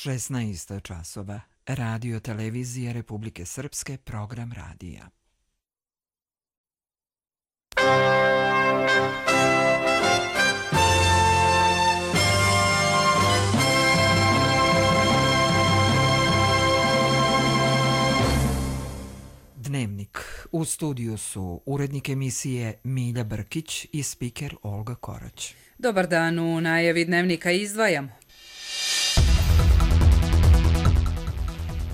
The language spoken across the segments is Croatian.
16 časova. Radio televizije Republike Srpske, program radija. Dnevnik. U studiju su urednik emisije Milja Brkić i spiker Olga Korać. Dobar dan, u najavi dnevnika izdvajamo.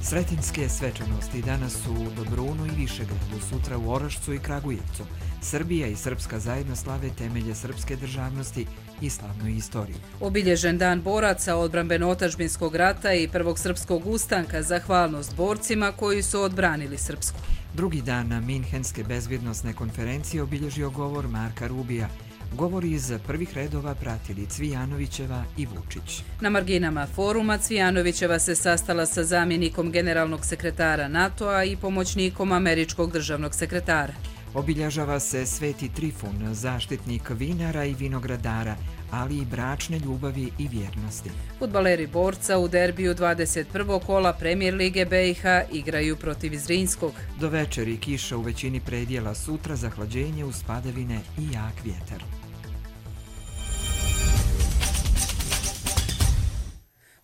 Sretenjske svečanosti danas su u Dobrunu i Višegradu, sutra u Orašcu i Kragujevcu. Srbija i Srpska zajedno slave temelje srpske državnosti i slavnu istoriju. Obilježen dan boraca odbrambeno-otadžbinskog rata i prvog srpskog ustanka, zahvalnost borcima koji su odbranili Srpsku. Drugi dan na Minhenske bezbjednosne konferencije obilježio govor Marka Rubija. Govori iz prvih redova pratili Cvijanovićeva i Vučić. Na marginama foruma Cvijanovićeva se sastala sa zamjenikom generalnog sekretara NATO-a i pomoćnikom američkog državnog sekretara. Obilježava se Sveti Trifun, zaštitnik vinara i vinogradara, ali i bračne ljubavi i vjernosti. Fudbaleri borca u derbiju 21. kola Premijer Lige BiH igraju protiv Zrinjskog. Do večeri kiša u većini predjela, sutra zahlađenje uz padavine i jak vjetar.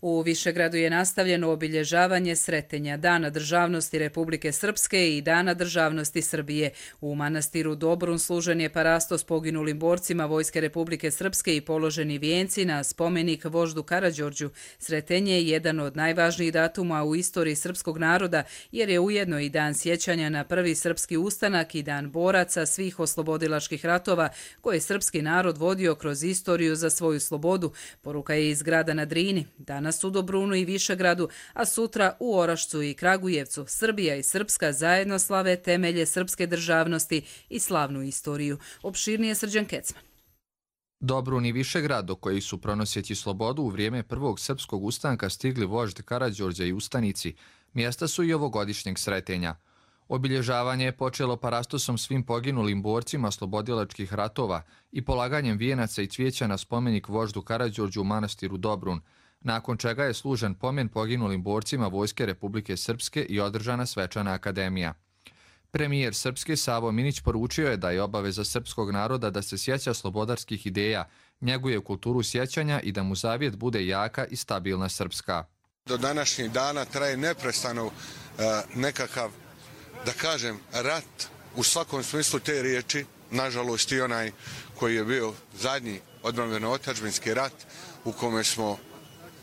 U Višegradu je nastavljeno obilježavanje Sretenja, Dana državnosti Republike Srpske i Dana državnosti Srbije. U manastiru Dobrun služen je parastos poginulim borcima Vojske Republike Srpske i položeni vijenci na spomenik voždu Karađorđu. Sretenje je jedan od najvažnijih datuma u istoriji srpskog naroda, jer je ujedno i dan sjećanja na prvi srpski ustanak i dan boraca svih oslobodilačkih ratova koje je srpski narod vodio kroz istoriju za svoju slobodu. Poruka je iz grada na Drini. Danas u Dobrunu i Višegradu, a sutra u Orašcu i Kragujevcu. Srbija i Srpska zajedno slave temelje srpske državnosti i slavnu istoriju. Opširnije Srđan Kecman. Dobrun i Višegrad, do kojih su pronoseći slobodu u vrijeme prvog srpskog ustanka stigli vožd Karađorđa i ustanici, mjesta su i ovogodišnjeg Sretenja. Obilježavanje je počelo parastosom svim poginulim borcima slobodilačkih ratova i polaganjem vijenaca i cvijeća na spomenik voždu Karađorđu u manastiru Dobrun, nakon čega je služen pomen poginulim borcima Vojske Republike Srpske i održana svečana akademija. Premijer Srpske Savo Minić poručio je da je obaveza srpskog naroda da se sjeća slobodarskih ideja, njeguje kulturu sjećanja i da mu zavjet bude jaka i stabilna Srpska. Do današnjih dana traje neprestano nekakav, da kažem, rat u svakom smislu te riječi, nažalost i onaj koji je bio zadnji odbrambeno-otadžbinski rat u kome smo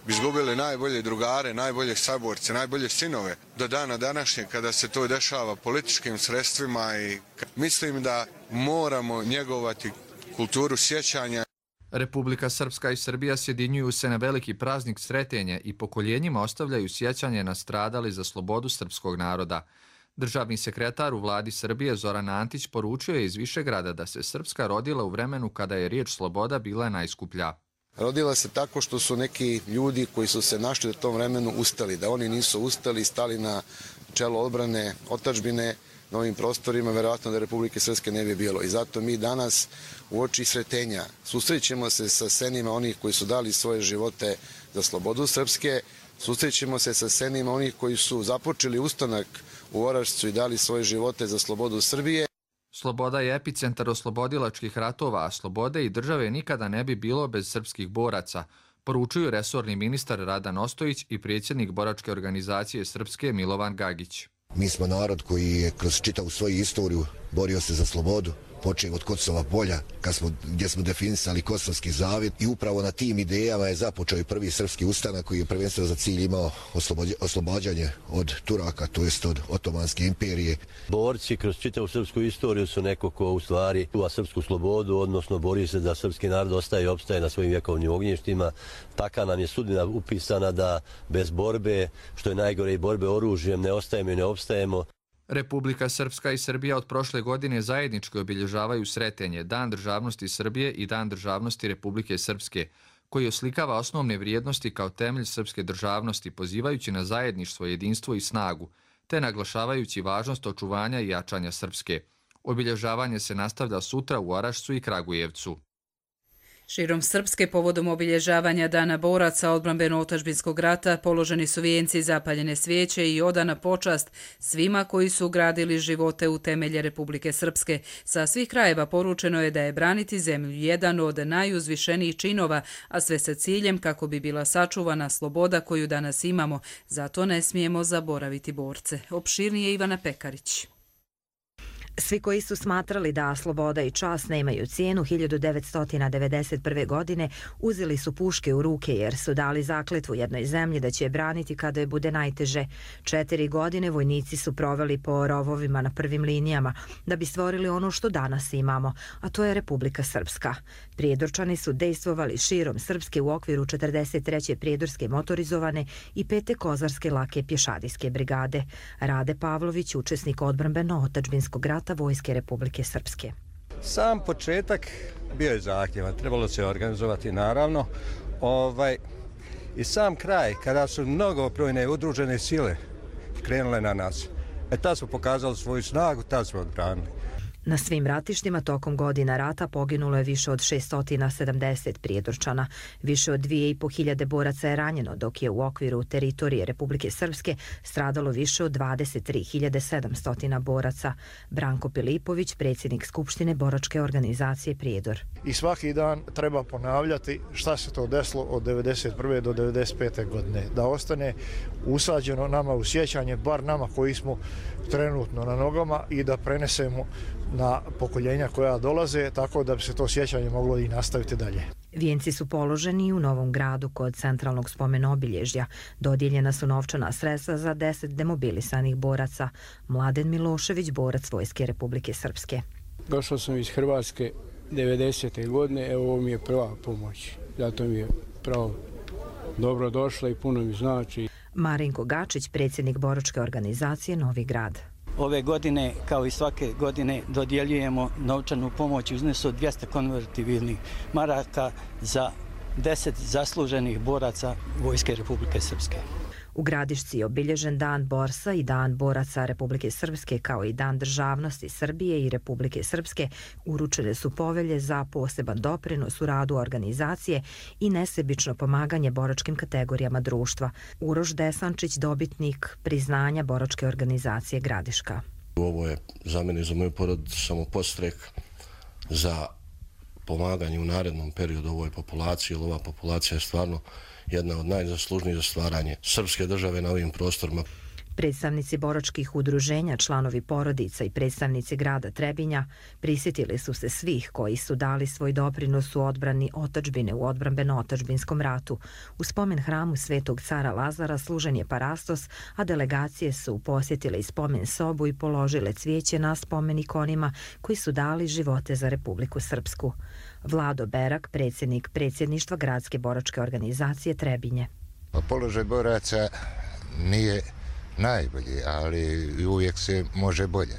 izgubili najbolje drugare, najbolje saborce, najbolje sinove. Do dana današnjeg kada se to dešava političkim sredstvima i mislim da moramo njegovati kulturu sjećanja. Republika Srpska i Srbija sjedinjuju se na veliki praznik Sretenja i pokoljenjima ostavljaju sjećanje na stradali za slobodu srpskog naroda. Državni sekretar u vladi Srbije Zoran Antić poručio je iz Višegrada da se Srpska rodila u vremenu kada je riječ sloboda bila najskuplja. Rodila se tako što su neki ljudi koji su se našli u tom vremenu ustali. Da oni nisu ustali i stali na čelo odbrane otadžbine na ovim prostorima, verovatno da Republike Srpske ne bi bilo. I zato mi danas u oči Sretenja susrećemo se sa senima onih koji su dali svoje živote za slobodu Srpske, susrećemo se sa senima onih koji su započeli ustanak u Orašcu i dali svoje živote za slobodu Srbije. Sloboda je epicentar oslobodilačkih ratova, a slobode i države nikada ne bi bilo bez srpskih boraca, poručuju resorni ministar Radan Ostojić i predsjednik boračke organizacije Srpske Milovan Gagić. Mi smo narod koji je kroz čitavu svoju istoriju borio se za slobodu, počeo od Kosova polja, gdje smo definisali Kosovski zavjet i upravo na tim idejama je započeo i prvi srpski ustanak koji je prvenstveno za cilj imao oslobađanje od Turaka, to jest od Otomanske imperije. Borci kroz čitavu srpsku istoriju su neko ko u stvari čuva srpsku slobodu, odnosno bori se da srpski narod ostaje i opstaje na svojim vjekovnim ognjištima. Taka nam je sudbina upisana da bez borbe, što je najgore i borbe oružjem, ne ostajemo i ne opstajemo. Republika Srpska i Srbija od prošle godine zajednički obilježavaju Sretenje, Dan državnosti Srbije i Dan državnosti Republike Srpske, koji oslikava osnovne vrijednosti kao temelj srpske državnosti, pozivajući na zajedništvo, jedinstvo i snagu, te naglašavajući važnost očuvanja i jačanja Srpske. Obilježavanje se nastavlja sutra u Orašcu i Kragujevcu. Širom Srpske povodom obilježavanja Dana boraca odbrambeno-otadžbinskog rata položeni su vijenci, zapaljene svijeće i odana počast svima koji su gradili živote u temelje Republike Srpske. Sa svih krajeva poručeno je da je braniti zemlju jedan od najuzvišenijih činova, a sve sa ciljem kako bi bila sačuvana sloboda koju danas imamo. Zato ne smijemo zaboraviti borce. Opširnije Ivana Pekarić. Svi koji su smatrali da sloboda i čast nemaju cijenu 1991. godine uzeli su puške u ruke jer su dali zakletvu jednoj zemlji da će je braniti kada je bude najteže. 4 godine vojnici su proveli po rovovima na prvim linijama da bi stvorili ono što danas imamo, a to je Republika Srpska. Prijedorčani su dejstvovali širom Srpske u okviru 43. prijedorske motorizovane i 5. kozarske lake pješadijske brigade. Rade Pavlović, učesnik odbrambeno-otadžbinskog rata Vojske Republike Srpske. Sam početak bio je zahtjevan, trebalo se organizovati naravno. I sam kraj, kada su mnogobrojne udružene sile krenule na nas, tad smo pokazali svoju snagu, tad smo odbranili. Na svim ratištima tokom godina rata poginulo je više od 670 prijedorčana. Više od 2500 boraca je ranjeno, dok je u okviru teritorije Republike Srpske stradalo više od 23.700 boraca. Branko Pilipović, predsjednik Skupštine boračke organizacije Prijedor. I svaki dan treba ponavljati šta se to desilo od 1991. do 1995. godine. Da ostane usađeno nama u sjećanje, bar nama koji smo trenutno na nogama, i da prenesemo na pokoljenja koja dolaze, tako da bi se to sjećanje moglo i nastaviti dalje. Vijenci su položeni u Novom Gradu kod centralnog spomena obilježja. Dodijeljena su novčana sredstva za 10 demobilisanih boraca. Mladen Milošević, borac Vojske Republike Srpske. Došao sam iz Hrvatske 90. godine, evo ovo mi je prva pomoć. Zato mi je pravo dobro došla i puno mi znači. Marinko Gačić, predsjednik boračke organizacije Novi Grad. Ove godine, kao i svake godine, dodjeljujemo novčanu pomoć u iznosu od 200 konvertibilnih maraka za 10 zasluženih boraca Vojske Republike Srpske. U Gradišci je obilježen Dan borca i Dan boraca Republike Srpske, kao i Dan državnosti Srbije i Republike Srpske. Uručene su povelje za poseban doprinos u radu organizacije i nesebično pomaganje boračkim kategorijama društva. Uroš Desančić, dobitnik priznanja boračke organizacije Gradiška. Ovo je za mene i za moju porodicu samo podstrek za pomaganje u narednom periodu ovoj populaciji, jer ova populacija je stvarno jedna od najzaslužnijih za stvaranje srpske države na ovim prostorima. Predstavnici boračkih udruženja, članovi porodica i predstavnici grada Trebinja prisjetili su se svih koji su dali svoj doprinos u odbrani otadžbine u odbrambeno-otadžbinskom ratu. U spomen hramu Svetog cara Lazara služen je parastos, a delegacije su posjetile i spomen sobu i položile cvijeće na spomenik onima koji su dali živote za Republiku Srpsku. Vlado Berak, predsjednik predsjedništva Gradske boračke organizacije Trebinje. Položaj boraca nije najbolji, ali uvijek se može bolje.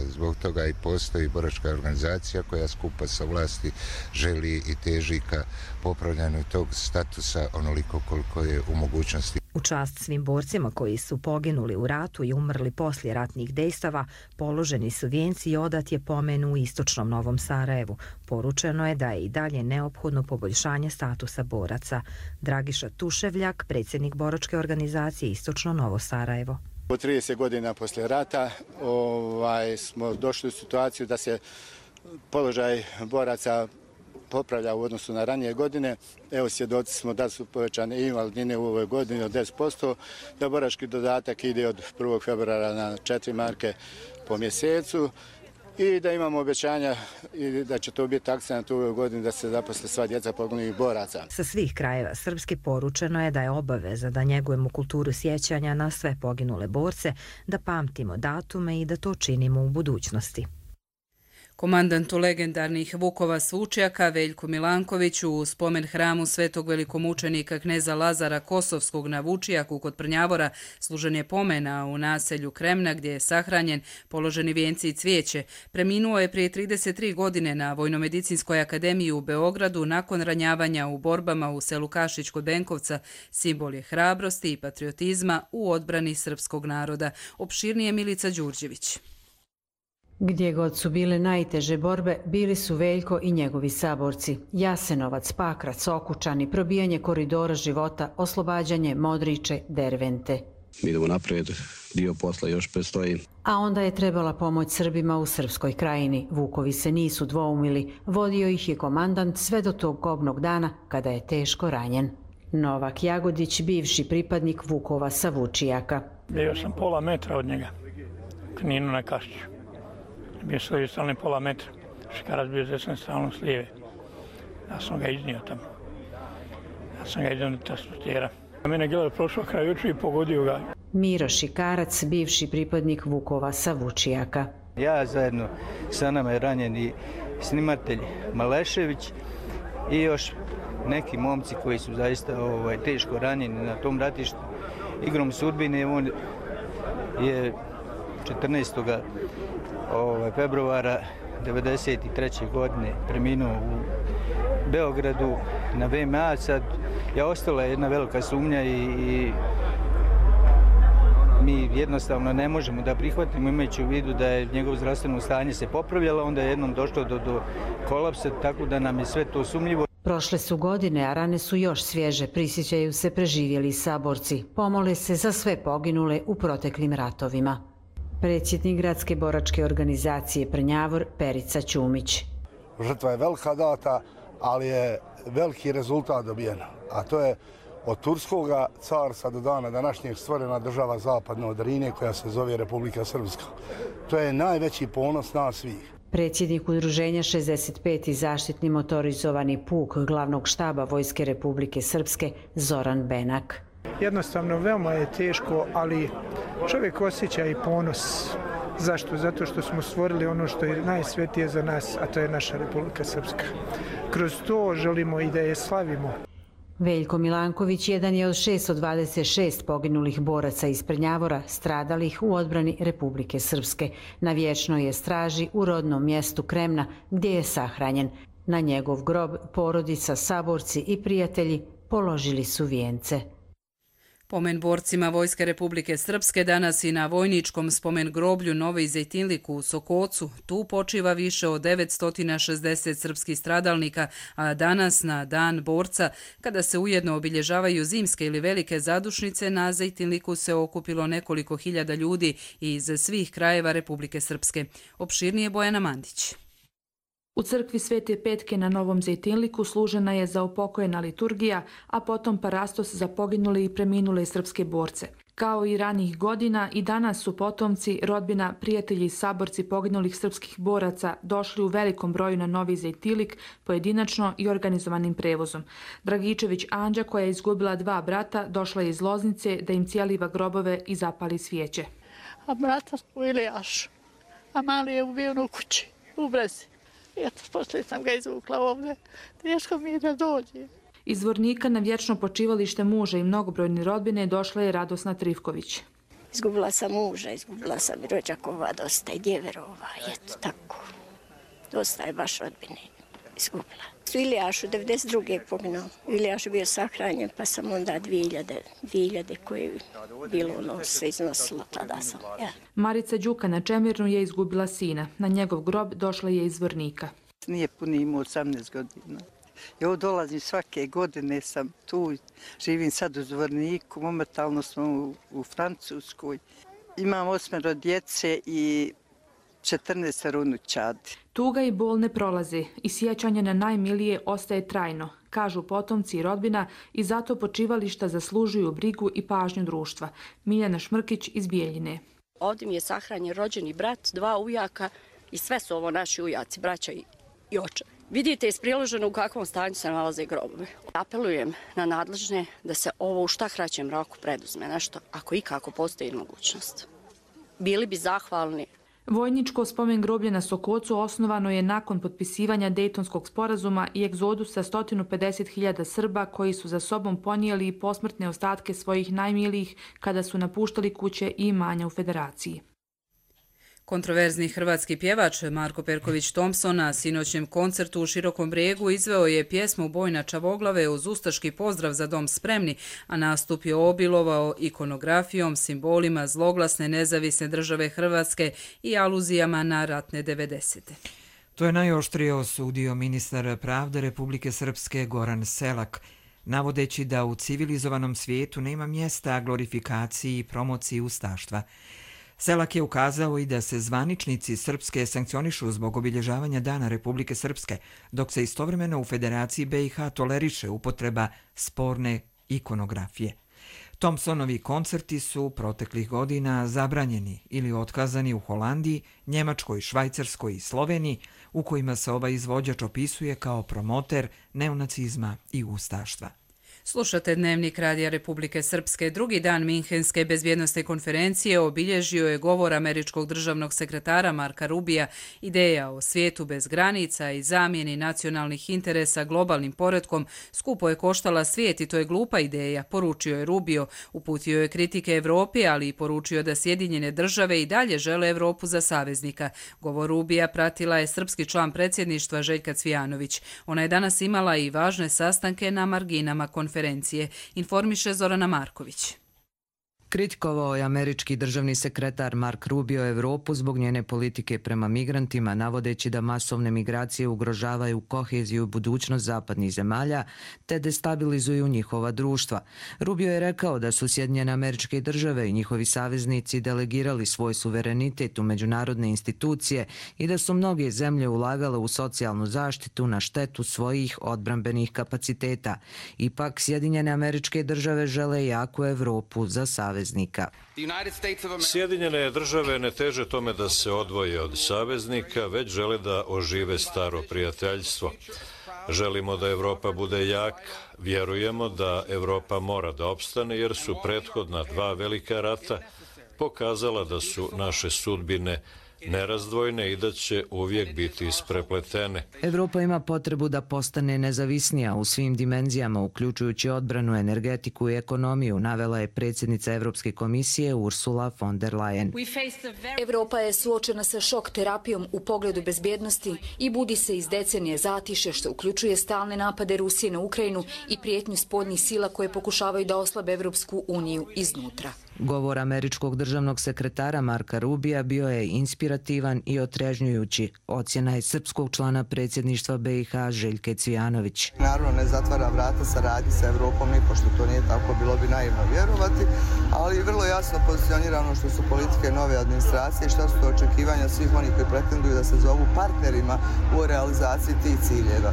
Zbog toga i postoji boračka organizacija koja skupa sa vlasti želi i teži ka popravljanju tog statusa onoliko koliko je u mogućnosti. U čast svim borcima koji su poginuli u ratu i umrli poslije ratnih dejstava, položeni su vijenci i odat je pomen u istočnom Novom Sarajevu. Poručeno je da je i dalje neophodno poboljšanje statusa boraca. Dragiša Tuševljak, predsjednik boračke organizacije Istočno Novo Sarajevo. Po 30 godina poslije rata smo došli u situaciju da se položaj boraca popravlja u odnosu na ranije godine. Evo, svjedoci smo da su povećane invalidnine u ovoj godini od 10%, da borački dodatak ide od 1. februara na 4 marke po mjesecu i da imamo obećanja i da će to biti akcent u ovoj godini da se zaposle sva djeca poginulih boraca. Sa svih krajeva Srpske poručeno je da je obaveza da njegujemo kulturu sjećanja na sve poginule borce, da pamtimo datume i da to činimo u budućnosti. Komandantu legendarnih Vukova Svučjaka Veljku Milankoviću u spomen hramu svetog velikomučenika kneza Lazara Kosovskog na Vučijaku kod Prnjavora služen je pomena u naselju Kremna gdje je sahranjen, položeni vijenci i cvijeće. Preminuo je prije 33 godine na Vojnomedicinskoj akademiji u Beogradu nakon ranjavanja u borbama u selu Kašić kod Benkovca. Simbol je hrabrosti i patriotizma u odbrani srpskog naroda. Opširnije Milica Đurđević. Gdje god su bile najteže borbe, bili su Veljko i njegovi saborci. Jasenovac, Pakrac, Okučani, probijanje koridora života, oslobađanje Modriče, Dervente. Idemo napred, dio posla još predstoji. A onda je trebala pomoć Srbima u Srpskoj krajini. Vukovi se nisu dvoumili, vodio ih je komandant sve do tog kobnog dana kada je teško ranjen. Novak Jagodić, bivši pripadnik Vukova sa Vučijaka. Bio sam pola metra od njega, Kninu na Kašću. Bio svoji stalni pola metra, Škarac bio desne stalno s lijeve. Ja sam ga iznio tamo. Ja sam ga iznio do transportera. Mene Gelar prošao kraj očiju i pogodio ga. Miro Šikarac, bivši pripadnik Vukova sa Vučijaka. Ja zajedno sa nama je ranjeni snimatelj Malešević i još neki momci koji su zaista teško ranjeni na tom ratištu. Igrom sudbine on je 14. februara 1993. godine preminuo u Beogradu na VMA. Sad je ostala jedna velika sumnja i mi jednostavno ne možemo da prihvatimo, imajući u vidu da je njegovo zdravstveno stanje se popravljalo, onda je jednom došlo do kolapsa, tako da nam je sve to sumnjivo. Prošle su godine, a rane su još svježe, prisjećaju se preživjeli saborci. Pomole se za sve poginule u proteklim ratovima. Predsjednik gradske boračke organizacije Prnjavor, Perica Ćumić. Žrtva je velika data, ali je veliki rezultat dobijen, a to je od Turskoga carstva do dana današnjeg stvorena država zapadno od Drine koja se zove Republika Srpska. To je najveći ponos nas svih. Predsjednik udruženja 65. zaštitni motorizovani puk glavnog štaba Vojske Republike Srpske Zoran Benak. Jednostavno veoma je teško, ali čovjek osjeća i ponos. Zašto? Zato što smo stvorili ono što je najsvetije za nas, a to je naša Republika Srpska. Kroz to želimo i da je slavimo. Veljko Milanković jedan je od 626 poginulih boraca iz Prnjavora stradalih u odbrani Republike Srpske. Na vječnoj je straži u rodnom mjestu Kremna gdje je sahranjen. Na njegov grob porodica, saborci i prijatelji položili su vijence. Pomen borcima Vojske Republike Srpske danas i na vojničkom spomen groblju Novi Zejtinlik u Sokocu. Tu počiva više od 960 srpskih stradalnika, a danas na Dan borca, kada se ujedno obilježavaju zimske ili velike zadušnice, na Zejtinliku se okupilo nekoliko hiljada ljudi iz svih krajeva Republike Srpske. Opširnije Bojana Mandić. U crkvi Svete Petke na Novom Zejtinliku služena je zaupokojena liturgija, a potom parastos za poginule i preminule srpske borce. Kao i ranih godina, i danas su potomci, rodbina, prijatelji i saborci poginulih srpskih boraca došli u velikom broju na Novi Zejtinlik, pojedinačno i organizovanim prevozom. Dragičević Anđa, koja je izgubila 2 brata, došla je iz Loznice da im cijeliva grobove i zapali svijeće. A brata u Ilijašu, a mali je ubijen u kući, u Brezi. Eto, poslije sam ga izvukla ovdje. Teško mi je da dođe. Iz Zvornika na vječno počivalište muža i mnogobrojne rodbine došla je Radosna Trivković. Izgubila sam muža, izgubila sam i rođakova dosta i djeverova. Eto, tako. Dosta je baš rodbine izgubila. U Ilijašu 92. poginuo. U Ilijašu bio sahranjen, pa sam onda 2000 koje je bilo ono sve iznosilo, tada sam. Ja. Marica Đuka na Čemirnu je izgubila sina. Na njegov grob došla je iz Zvornika. Nije puno imao 18 godina. Ja dolazim svake godine, sam tu, živim sad u Zvorniku, momentalno smo u Francuskoj. Imam 8 djece i 14 unučadi. Tuga i bol ne prolaze i sjećanje na najmilije ostaje trajno, kažu potomci i rodbina, i zato počivališta zaslužuju brigu i pažnju društva. Miljana Šmrkić iz Bijeljine. Ovdje mi je sahranjen rođeni brat, 2 ujaka i sve su ovo naši ujaci, braća i očevi. Vidite iz priloženo u kakvom stanju se nalaze grobovi. Apelujem na nadležne da se ovo u šta kraćem roku preduzme nešto, ako ikako postoji mogućnost. Bili bi zahvalni. Vojničko spomen groblje na Sokocu osnovano je nakon potpisivanja Dejtonskog sporazuma i egzodusa 150.000 Srba koji su za sobom ponijeli i posmrtne ostatke svojih najmilijih kada su napuštali kuće i imanja u Federaciji. Kontroverzni hrvatski pjevač Marko Perković Thompson na sinoćnjem koncertu u Širokom Brijegu izveo je pjesmu Boj na Čavoglave uz ustaški pozdrav za dom spremni, a nastup je obilovao ikonografijom, simbolima zloglasne nezavisne države Hrvatske i aluzijama na ratne 90. To je najoštrije osudio ministar pravde Republike Srpske Goran Selak, navodeći da u civilizovanom svijetu nema mjesta glorifikaciji i promociji ustaštva. Selak je ukazao i da se zvaničnici Srpske sankcionišu zbog obilježavanja Dana Republike Srpske, dok se istovremeno u Federaciji BiH toleriše upotreba sporne ikonografije. Thompsonovi koncerti su proteklih godina zabranjeni ili otkazani u Holandiji, Njemačkoj, Švajcarskoj i Sloveniji, u kojima se ovaj izvođač opisuje kao promoter neonacizma i ustaštva. Slušate Dnevnik Radija Republike Srpske. Drugi dan Minhenske bezbjednosne konferencije obilježio je govor američkog državnog sekretara Marka Rubija, ideja o svijetu bez granica i zamjeni nacionalnih interesa globalnim poretkom skupo je koštala svijet i to je glupa ideja, poručio je Rubio. Uputio je kritike Evropi, ali i poručio da Sjedinjene države i dalje žele Evropu za saveznika. Govor Rubija pratila je srpski član predsjedništva Željka Cvijanović. Ona je danas imala i važne sastanke na marginama konferencije, informiše Zorana Marković. Kritikovao je američki državni sekretar Mark Rubio Evropu zbog njene politike prema migrantima, navodeći da masovne migracije ugrožavaju koheziju i budućnost zapadnih zemalja te destabilizuju njihova društva. Rubio je rekao da su Sjedinjene Američke Države i njihovi saveznici delegirali svoj suverenitet u međunarodne institucije i da su mnoge zemlje ulagale u socijalnu zaštitu na štetu svojih odbrambenih kapaciteta. Ipak, Sjedinjene Američke Države žele jaku Evropu za saveznika. Sjedinjene države ne teže tome da se odvoje od saveznika, već žele da ožive staro prijateljstvo. Želimo da Evropa bude jaka, vjerujemo da Evropa mora da opstane jer su prethodna dva velika rata pokazala da su naše sudbine nerazdvojne i da će uvijek biti isprepletene. Evropa ima potrebu da postane nezavisnija u svim dimenzijama, uključujući odbranu, energetiku i ekonomiju, navela je predsjednica Evropske komisije Ursula von der Leyen. Evropa je suočena sa šok terapijom u pogledu bezbjednosti i budi se iz decenije zatiše, što uključuje stalne napade Rusije na Ukrajinu i prijetnju spoljnih sila koje pokušavaju da oslabe Evropsku uniju iznutra. Govor američkog državnog sekretara Marka Rubija bio je inspirativan i otrežnjujući. Ocjena je srpskog člana predsjedništva BiH Željke Cvijanović. Naravno ne zatvara vrata saradnji sa Evropom, nipošto to nije tako, bilo bi naivno vjerovati, ali vrlo jasno pozicionirano što su politike nove administracije, šta su to očekivanja svih onih koji pretenduju da se zovu partnerima u realizaciji tih ciljeva.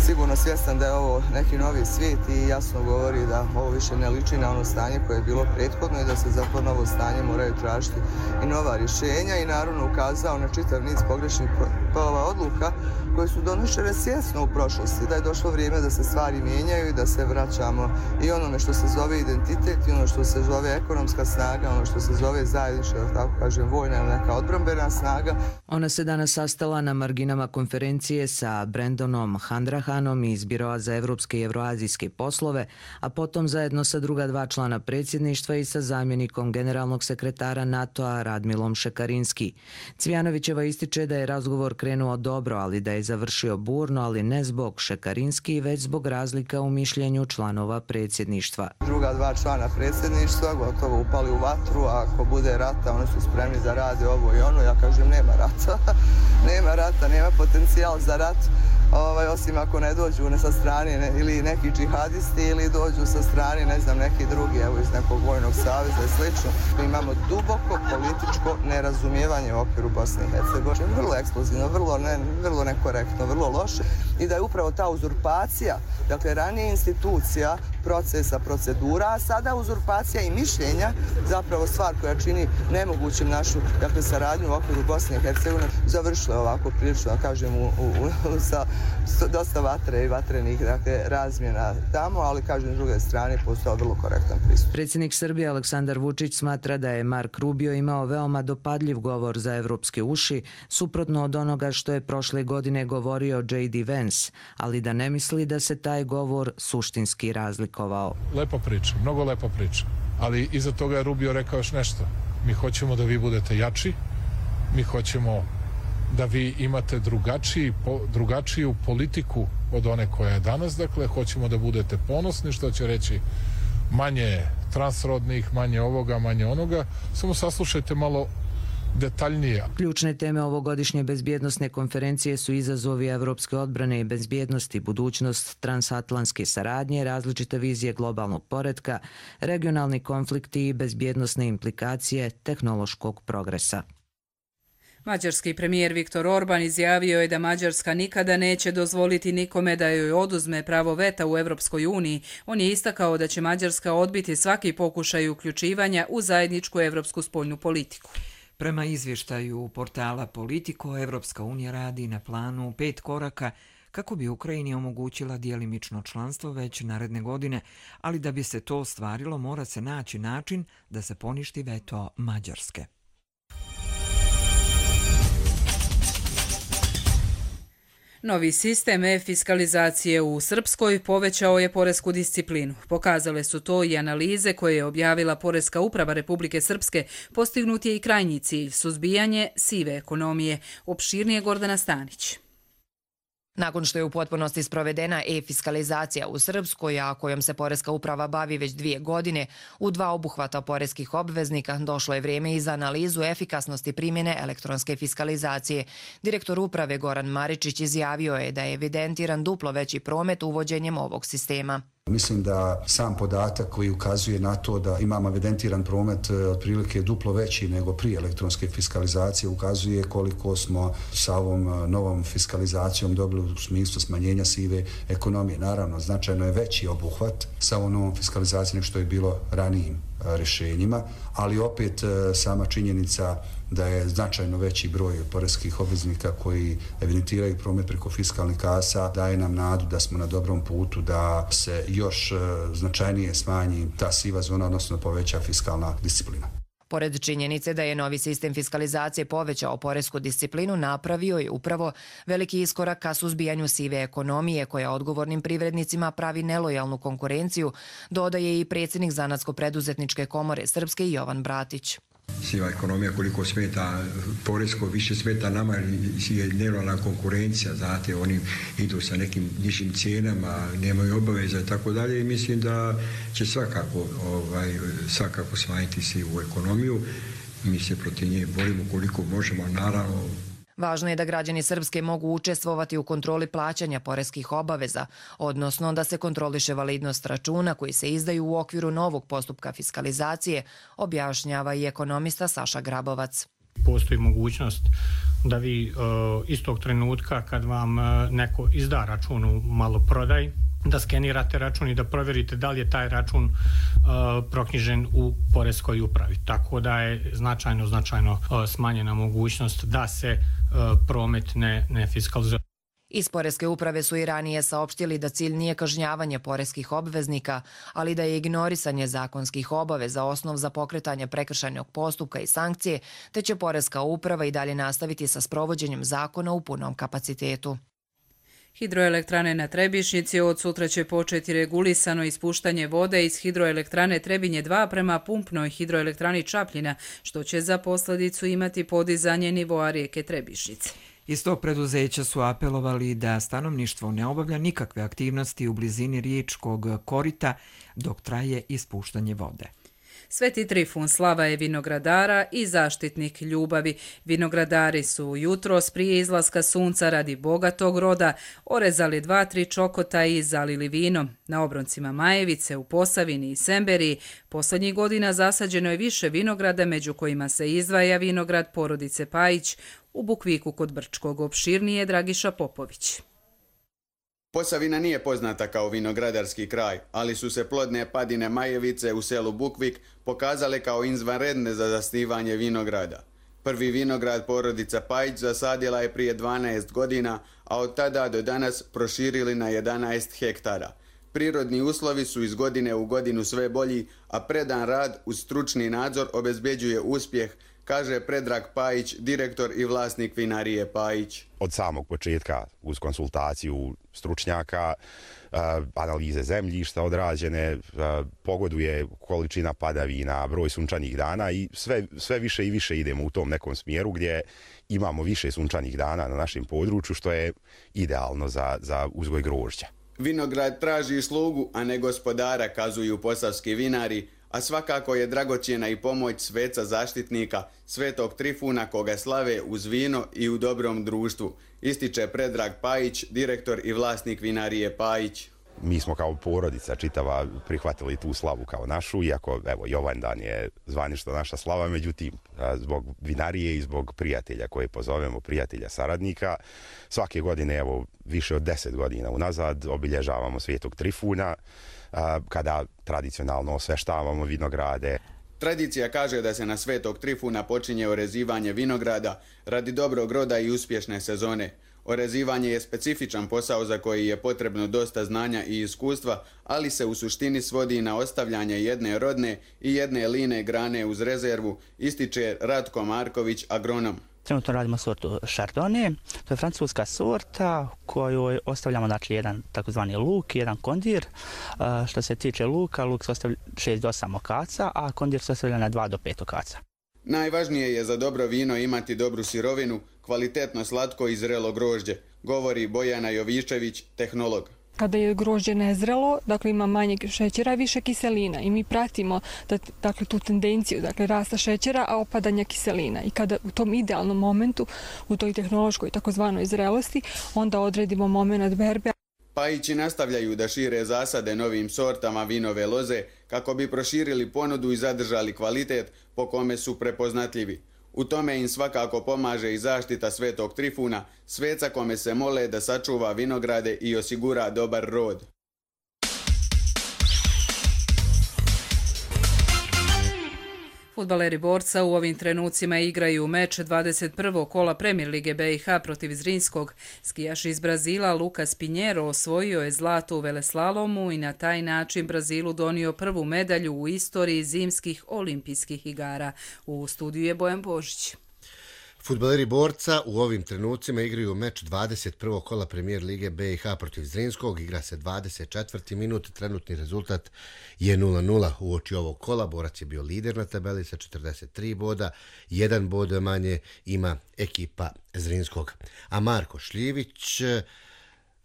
Sigurno svjestan da je ovo neki novi svijet i jasno govori da ovo više ne liči na ono stanje koje je bilo prethodno i da se za to novo stanje moraju tražiti i nova rješenja i naravno ukazao na čitav niz pogrešnih odluka koje su donošene svjesno u prošlosti, da je došlo vrijeme da se stvari mijenjaju i da se vraćamo i onome što se zove identitet i ono što se zove ekonomska snaga, ono što se zove zajednička, tako kažem, vojna ili neka odbrambena snaga. Ona se danas sastala na marginama konferencije sa Brendonom Handrahanom iz Biroa za evropske i evroazijske poslove, a potom zajedno sa druga dva člana predsjedništva i sa zamjenikom generalnog sekretara NATO-a Radmilom Šekarinski. Cvijanovićeva ističe da je razgovor krenuo dobro, ali da je završio burno, ali ne zbog Šekarinski, već zbog razlika u mišljenju članova predsjedništva. Druga dva člana predsjedništva gotovo upali u vatru, a ako bude rata, oni su spremni da rade ovo i ono. Ja kažem, nema rata. Nema rata, nema potencijal za rat, osim ako ne dođu sa strane ili neki džihadisti ili dođu sa strane, ne znam, neki drugi, evo iz nekog vojnog saveza i slično. Imamo duboko političko nerazumijevanje u okviru Bosne i Hercegovine. Vrlo eksplozivno, vrlo nekorektno, vrlo loše. I da je upravo ta uzurpacija, dakle ranije institucija, procesa, procedura, a sada uzurpacija i mišljenja, zapravo stvar koja čini nemogućim našu, dakle, saradnju u okviru Bosne i Hercegovine, završila ovako prilično, da kažem, sa dosta vatre i vatrenih, dakle, razmjena tamo, ali, kažem, s druge strane postao vrlo korektan pristup. Predsjednik Srbije Aleksandar Vučić smatra da je Mark Rubio imao veoma dopadljiv govor za evropske uši, suprotno od onoga što je prošle godine govorio J.D. Vance, ali da ne misli da se taj govor suštinski razlikovao. Lepa priča, mnogo lepa priča, ali iza toga je Rubio rekao još nešto. Mi hoćemo da vi budete jači, Mi hoćemo da vi imate drugačiju politiku od one koja je danas. Dakle, hoćemo da budete ponosni, što će reći manje transrodnih, manje ovoga, manje onoga. Samo saslušajte malo detaljnije. Ključne teme ovogodišnje bezbjednosne konferencije su izazovi evropske odbrane i bezbjednosti, budućnost transatlantske saradnje, različite vizije globalnog poretka, regionalni konflikti i bezbjednosne implikacije tehnološkog progresa. Mađarski premijer Viktor Orban izjavio je da Mađarska nikada neće dozvoliti nikome da joj oduzme pravo veta u Evropskoj uniji. On je istakao da će Mađarska odbiti svaki pokušaj uključivanja u zajedničku evropsku spoljnu politiku. Prema izvještaju portala Politico, Evropska unija radi na planu 5 koraka kako bi Ukrajini omogućila djelimično članstvo već naredne godine, ali da bi se to ostvarilo mora se naći način da se poništi veto Mađarske. Novi sistem e-fiskalizacije u Srpskoj povećao je poresku disciplinu. Pokazale su to i analize koje je objavila Poreska uprava Republike Srpske. Postignut je i krajnji cilj, suzbijanje sive ekonomije. Opširnije Gordana Stanić. Nakon što je u potpunosti sprovedena e-fiskalizacija u Srpskoj, a kojom se Poreska uprava bavi već 2 godine, u 2 obuhvata poreskih obveznika došlo je vrijeme i za analizu efikasnosti primjene elektronske fiskalizacije. Direktor uprave Goran Maričić izjavio je da je evidentiran duplo veći promet uvođenjem ovog sistema. Mislim da sam podatak koji ukazuje na to da imamo evidentiran promet otprilike duplo veći nego prije elektronske fiskalizacije ukazuje koliko smo sa ovom novom fiskalizacijom dobili u smislu smanjenja sive ekonomije. Naravno, značajno je veći obuhvat sa ovom novom fiskalizacijom što je bilo ranijim rješenjima, ali opet sama činjenica da je značajno veći broj poreskih obveznika koji evidentiraju promet preko fiskalnih kasa daje nam nadu da smo na dobrom putu da se još značajnije smanji ta siva zona, odnosno poveća fiskalna disciplina. Pored činjenice da je novi sistem fiskalizacije povećao poresku disciplinu, napravio je upravo veliki iskorak ka suzbijanju sive ekonomije koja odgovornim privrednicima pravi nelojalnu konkurenciju, dodaje i predsjednik Zanatsko-preduzetničke komore Srpske Jovan Bratić. Siva ekonomija koliko smeta poresko, više smeta nama je nelojalna konkurencija, znate, oni idu sa nekim nižim cijenama, nemaju obaveza i tako dalje i mislim da će svakako smanjiti sivu ekonomiju. Mi se protiv nje borimo koliko možemo, naravno. Važno je da građani Srpske mogu učestvovati u kontroli plaćanja poreskih obaveza, odnosno da se kontroliše validnost računa koji se izdaju u okviru novog postupka fiskalizacije, objašnjava i ekonomista Saša Grabovac. Postoji mogućnost da vi istog trenutka kad vam neko izda račun u maloprodaj, da skenirate račun i da provjerite da li je taj račun proknjižen u poreskoj upravi. Tako da je značajno smanjena mogućnost da se promet ne fiskalizuje. Iz Poreske uprave su i ranije saopštili da cilj nije kažnjavanje poreskih obveznika, ali da je ignorisanje zakonskih obaveza osnov za pokretanje prekršajnog postupka i sankcije, te će Poreska uprava i dalje nastaviti sa sprovođenjem zakona u punom kapacitetu. Hidroelektrane na Trebišnjici od sutra će početi regulisano ispuštanje vode iz hidroelektrane Trebinje 2 prema pumpnoj hidroelektrani Čapljina, što će za posljedicu imati podizanje nivoa rijeke Trebišnjice. Iz tog preduzeća su apelovali da stanovništvo ne obavlja nikakve aktivnosti u blizini riječkog korita dok traje ispuštanje vode. Sveti Trifun slava je vinogradara i zaštitnik ljubavi. Vinogradari su jutros prije izlaska sunca radi bogatog roda orezali 2-3 čokota i zalili vino. Na obroncima Majevice, u Posavini i Semberiji posljednjih godina zasađeno je više vinograda, među kojima se izdvaja vinograd porodice Pajić u Bukviku kod Brčkog. Opširnije Dragiša Popović. Posavina nije poznata kao vinogradarski kraj, ali su se plodne padine Majevice u selu Bukvik pokazale kao izvanredne za zasnivanje vinograda. Prvi vinograd porodica Pajić zasadila je prije 12 godina, a od tada do danas proširili na 11 hektara. Prirodni uslovi su iz godine u godinu sve bolji, a predan rad uz stručni nadzor obezbeđuje uspjeh, kaže Predrag Pajić, direktor i vlasnik vinarije Pajić. Od samog početka, uz konsultaciju stručnjaka, analize zemljišta odrađene, pogoduje količina padavina, broj sunčanih dana i sve više i više idemo u tom nekom smjeru gdje imamo više sunčanih dana na našem području, što je idealno za uzgoj grožđa. Vinograd traži slugu, a ne gospodara, kazuju posavski vinari, a svakako je dragocjena i pomoć sveca zaštitnika, Svetog Trifuna, koga slave uz vino i u dobrom društvu, ističe Predrag Pajić, direktor i vlasnik vinarije Pajić. Mi smo kao porodica čitava prihvatili tu slavu kao našu, iako evo Jovandan je zvanično naša slava, međutim zbog vinarije i zbog prijatelja koje pozovemo, prijatelja saradnika, svake godine, evo više od 10 godina unazad, obilježavamo Svetog Trifuna, kada tradicionalno osveštavamo vinograde. Tradicija kaže da se na Svetog Trifuna počinje orezivanje vinograda radi dobrog roda i uspješne sezone. Orezivanje je specifičan posao za koji je potrebno dosta znanja i iskustva, ali se u suštini svodi na ostavljanje jedne rodne i jedne line grane uz rezervu, ističe Ratko Marković, agronom. Trenutno radimo sortu Chardonnay, to je francuska sorta koju ostavljamo jedan takozvani luk i jedan kondir. Što se tiče luka, luk se ostavlja 6 do 8 okaca, a kondir se ostavlja na 2 do 5 okaca. Najvažnije je za dobro vino imati dobru sirovinu, kvalitetno slatko i zrelo grožđe, govori Bojana Jovišević, tehnolog. Kada je grožđe nezrelo, dakle ima manje šećera i više kiselina i mi pratimo tu tendenciju rasta šećera, a opadanja kiselina. I kada u tom idealnom momentu, u toj tehnološkoj takozvanoj zrelosti, onda odredimo moment berbe. Pajići nastavljaju da šire zasade novim sortama vinove loze kako bi proširili ponudu i zadržali kvalitet po kome su prepoznatljivi. U tome im svakako pomaže i zaštita Svetog Trifuna, sveca kome se mole da sačuva vinograde i osigura dobar rod. Fudbaleri Borca u ovim trenucima igraju meč 21. kola Premier Lige BiH protiv Zrinskog. Skijaš iz Brazila Lucas Pinheiro osvojio je zlato u veleslalomu i na taj način Brazilu donio prvu medalju u istoriji zimskih olimpijskih igara. U studiju je Bojan Božić. Fudbaleri Borca u ovim trenucima igraju meč 21. kola Premier Lige BiH protiv Zrinskog. Igra se 24. minut, trenutni rezultat je 0-0. Uoči ovog kola Borac je bio lider na tabeli sa 43 boda, 1 bod manje ima ekipa Zrinskog. A Marko Šljivić,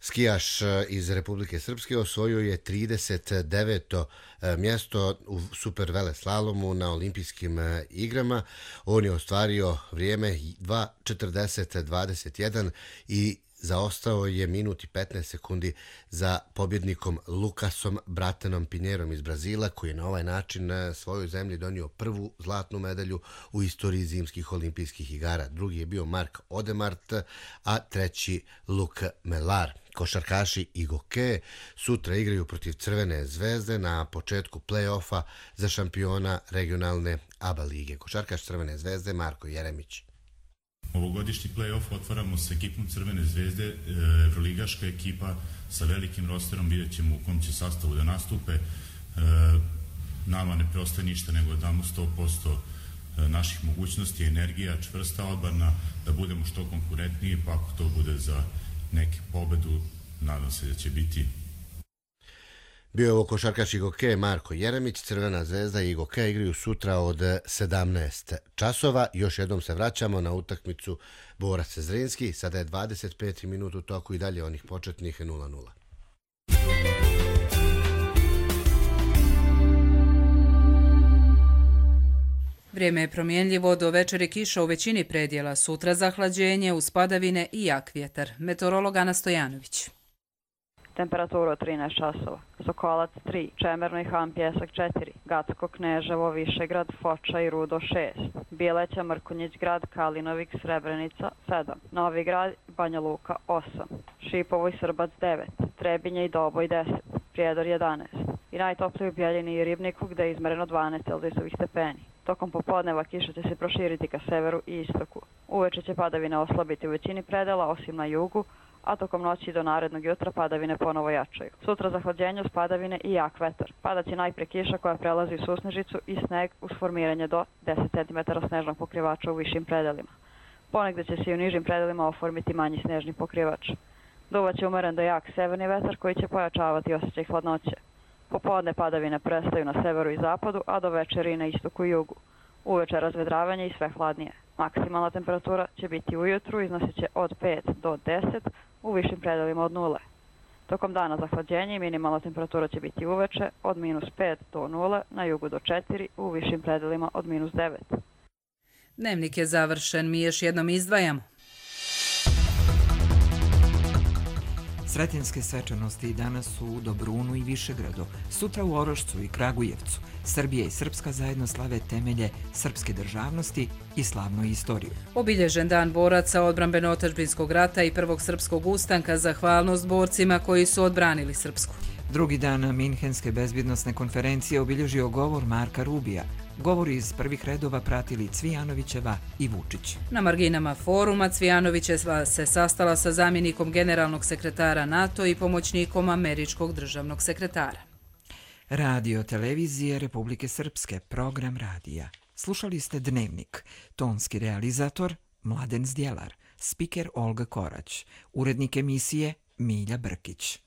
skijaš iz Republike Srpske, osvojio je 39. mjesto u super veleslalomu na olimpijskim igrama. On je ostvario vrijeme 2:40:21 i zaostao je minut i 15 sekundi za pobjednikom Lukasom Bratenom Pinheirom iz Brazila, koji je na ovaj način svojoj zemlji donio prvu zlatnu medalju u istoriji zimskih olimpijskih igara. Drugi je bio Mark Odemart, a treći Luc Melar. Košarkaši Igoke sutra igraju protiv Crvene zvezde na početku play-offa za šampiona regionalne ABA lige. Košarkaš Crvene zvezde Marko Jeremić. Ovogodišnji play-off otvaramo sa ekipom Crvene zvezde, evroligaška ekipa sa velikim rosterom, vidjet ćemo u kom će sastavu da nastupe. Nama ne preostaje ništa nego da damo 100% naših mogućnosti, energija, čvrsta odbrana, da budemo što konkurentniji, pa ako to bude za neku pobedu, nadam se da će biti. Bio je ovo košarkaš Igoke Marko Jeremić. Crvena zvezda i Igoke igraju sutra od 17 časova. Još jednom se vraćamo na utakmicu Borac Zrinski. Sada je 25. minut u toku i dalje onih početnih 0-0. Vrijeme je promjenljivo, do večeri kiša u većini predjela, sutra zahlađenje uz padavine i jak vjetar. Meteorolog Ana Stojanović. Temperatura 13 časova. Sokolac 3, Čemerno i Han Pjesak 4, Gacko, Kneževo, Višegrad, Foča i Rudo 6, Bileća, Mrkonjić grad, Kalinovik, Srebrenica 7, Novi grad, Banja Luka 8, Šipovo i Srbac 9, Trebinje i Doboj 10, Prijedor 11 i najtopliji u Bjeljini i Ribniku gde je izmereno 12 celzijusovih stepeni. Tokom popodneva kiša će se proširiti ka severu i istoku. Uveče će padavine oslabiti u većini predela, osim na jugu, a tokom noći do narednog jutra padavine ponovo jačaju. Sutra zahlađenje uz padavine i jak vetar. Padaće najpre kiša koja prelazi u susnežicu i sneg uz formiranje do 10 cm snežnog pokrivača u višim predelima. Ponegde će se i u nižim predelima oformiti manji snežni pokrivač. Duvaće umeren do jak severni vetar koji će pojačavati osjećaj hladnoće. Popodne padavine prestaju na severu i zapadu, a do večeri na istoku i jugu. Uveče razvedravanje i sve hladnije. Maksimalna temperatura će biti ujutru, iznosit će od 5 do 10, u višim predelima od 0. Tokom dana zahlađenje i minimalna temperatura će biti uveče od -5 do 0, na jugu do 4, u višim predelima od -9. Dnevnik je završen, mi još jednom izdvajamo. Sretenjske svečanosti danas su u Dobrunu i Višegradu, sutra u Orošcu i Kragujevcu. Srbija i Srpska zajedno slave temelje srpske državnosti i slavnu istoriju. Obilježen dan boraca odbrambeno-otadžbinskog rata i prvog srpskog ustanka, zahvalnost borcima koji su odbranili Srpsku. Drugi dan Minhenske bezbjednosne konferencije obilježio govor Marka Rubija. Govor iz prvih redova pratili Cvijanovićeva i Vučić. Na marginama foruma Cvijanovićeva se sastala sa zamjenikom generalnog sekretara NATO i pomoćnikom američkog državnog sekretara. Radio televizije Republike Srpske, program radija. Slušali ste Dnevnik, tonski realizator Mladen Zdjelar, spiker Olga Korać, urednik emisije Milja Brkić.